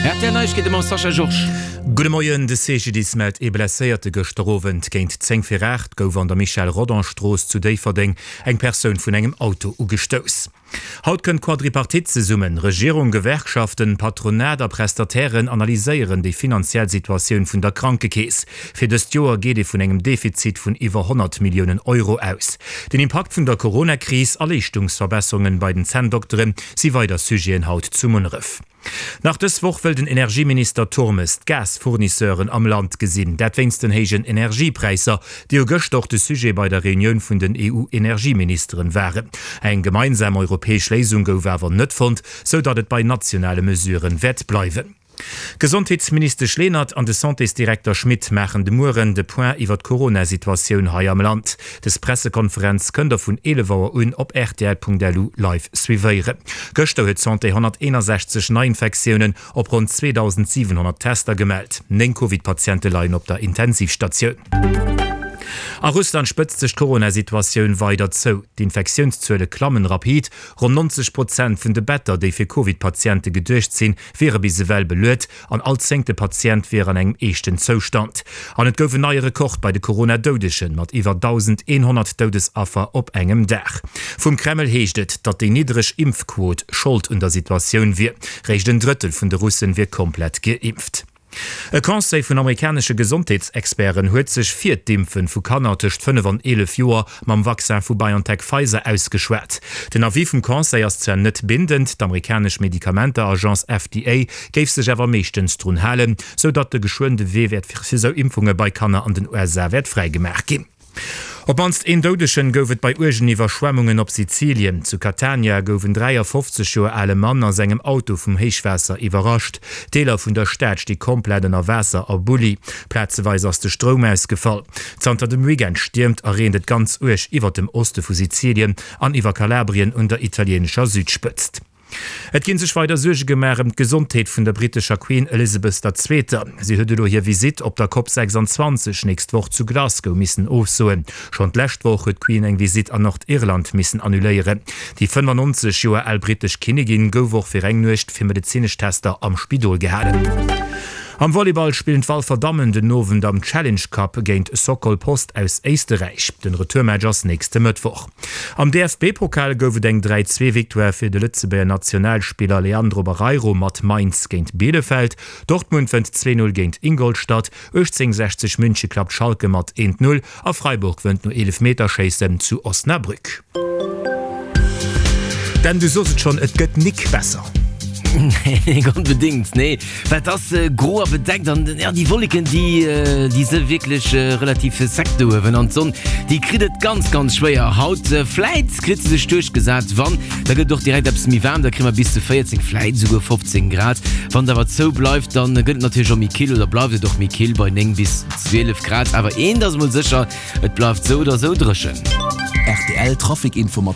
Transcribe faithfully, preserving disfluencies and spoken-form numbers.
R T L Neiegkeete mam Sascha Georges. Gudde Moien, De C G D I S mellt ee Blesséierte. Gëschter Owend géint zéng vir aacht gouf an der Michel-Rodange-Strooss zu Déifferdeng eng Persoun vun engem Auto ugestouss. Haut kënnt d'Quadripartite zesummen. Regierung, Gewerkschaften, Patronat a Prestatairen analyséieren déi finanziell Situatioun vun der Krankekeess. Fir dëst Joer geet ee vun engem Defizit vun iwwer honnert Milliounen Euro aus. Den Impakt vun der Corona-Kris a Leeschtungsverbesserungen bei den Zänndoktere si weider Sujeten haut zu Munneref. Nach dës Woch wëll den Energieminister Turmes d'Gasfournisseuren am Land gesinn. Dat wéinst den héijen Energiepräisser, déi jo gëschter och de Sujet bei der Reunioun vun den E U-Energieministeren waren. Eng gemeinsam europäesch Léisung gouf awer net fonnt, sou datt et bei nationale Mesuren wäert bleiwen. D'Gesondheetsministesch Lenert an de Santésdirekter Schmit maachen de Mueren de Point iwwer d'Corona-Situatioun hei am Land. Dës Pressekonferenz kënnt der vun eelef Auer un op rtl Punkt L U live suivéieren. Gëschter huet d'Santé honnerteenasechzeg Neiinfektiounen op ronn zweedausendsiwenhonnert Tester gemellt. Néng Covid-Patiente leien op der Intensivstatioun. A Russland spëtzt sech d'Corona-Situatioun weider zou. D'Infektiounszuele klammen rapid. Ronn neunzeg Prozent vun de Better, déi fir Covid-Patiente geduecht sinn, wiere bis ewell beluet an all zéngte Patient wier an engem eeschten Zoustand. An et gouf en neie Rekord bei de Corona-Doudegen, mat iwwer dausendeenhonnert Doudesaffer op engem Dag. Vum Kreml heescht et, datt déi niddreg Impfquot Schold un der Situatioun wier. Réischt en Drëttel vun de Russen wier komplett geimpft. E Conseil vun amerikanesche Gesondheetsexperten huet sech fir d'Impfe vu Kanner tëscht fënnef an eelef Joer mam Vaccin vu BioNTech-Pfizer ausgeschwat. Den Avis vum Conseil ass zwar net bindend, d'amerikanesch Medikamenteagence F D A géif sech awer meeschtens drun halen, sou datt de geschwënn de Wee wäert fir sou Impfunge bei Kanner an den U S A wäert fräigemaach ginn. Op d'mannst een Doudegen gouf et bei uergen Iwwerschwemmunge op Sizilien. Zu Catania gouf en dräiafofzeg Joer ale Mann a sengem Auto vum Héichwaasser iwwerrascht. Deeler vun der Stad sti komplett ënner Waasser a Bulli. Plazeweis ass de Stroum ausgefall. Zanter dem Weekend stiermt a reent et ganz uerg iwwer dem Oste vu Sizilien an iwwer Kalabrien un der italieenescher Südspëtzt. Et ginn sech weider Suerge gemaach ëm d'Gesondheet vun der brittescher Queen Elizabeth der Zweeter. Si huet elo hir Visitt op der COP sechsanzwanzeg nächst Woch zu Glasgow missen ofsoen. Schonn d'lescht Woch huet d'Queen eng Visitt an Nordirland missen annuléieren. Déi fënnefannonzeg Joer al brittesch Kinnigin gouf och fir eng Nuecht fir medezinesch Tester am Spidol gehalen. Am Volleyball spillen d'Walfer Dammen den Owend am Challenge Cup géint Sokol Post aus Éisterräich. Den Retourmatch ass nächste Mëttwoch. Am D F B-Pokal gouf et eng dräi-zwee-Victoire fir de Lëtzebuerger Nationalspiller Leandro Barreiro mat Mainz géint Bielefeld. Dortmund wënnt zwee null géint Ingolstadt, achtzehnhunnertsechzeg München klappt Schalke mat eent null a Freiburg wënnt no Eelefmeterschéissen zu Osnabrück. Dan, du sos et schonn, et gëtt nik besser. Nee, onbedéngt, nee. Well et ass äh, gro a bedeckt an ja, déi Wolleken déi, äh, déi si wierklech äh, relativ sec do uewen an d'Sonn déi kritt et ganz ganz schwéier. Haut äh, vläit kritt se sech duerchgesat, wann da gëtt och direkt eppes méi waarm, da kréie mer bis zu véierzéng, vläit souguer fofzéng Grad. Wann et awer zou bleift, dann gëtt et natierlech och méi kill oder bleift et och méi kill bei néng bis zwielef Grad. Awer eent ass mol sécher, et bleift sou oder sou dréchen. R T L Trafic Info mat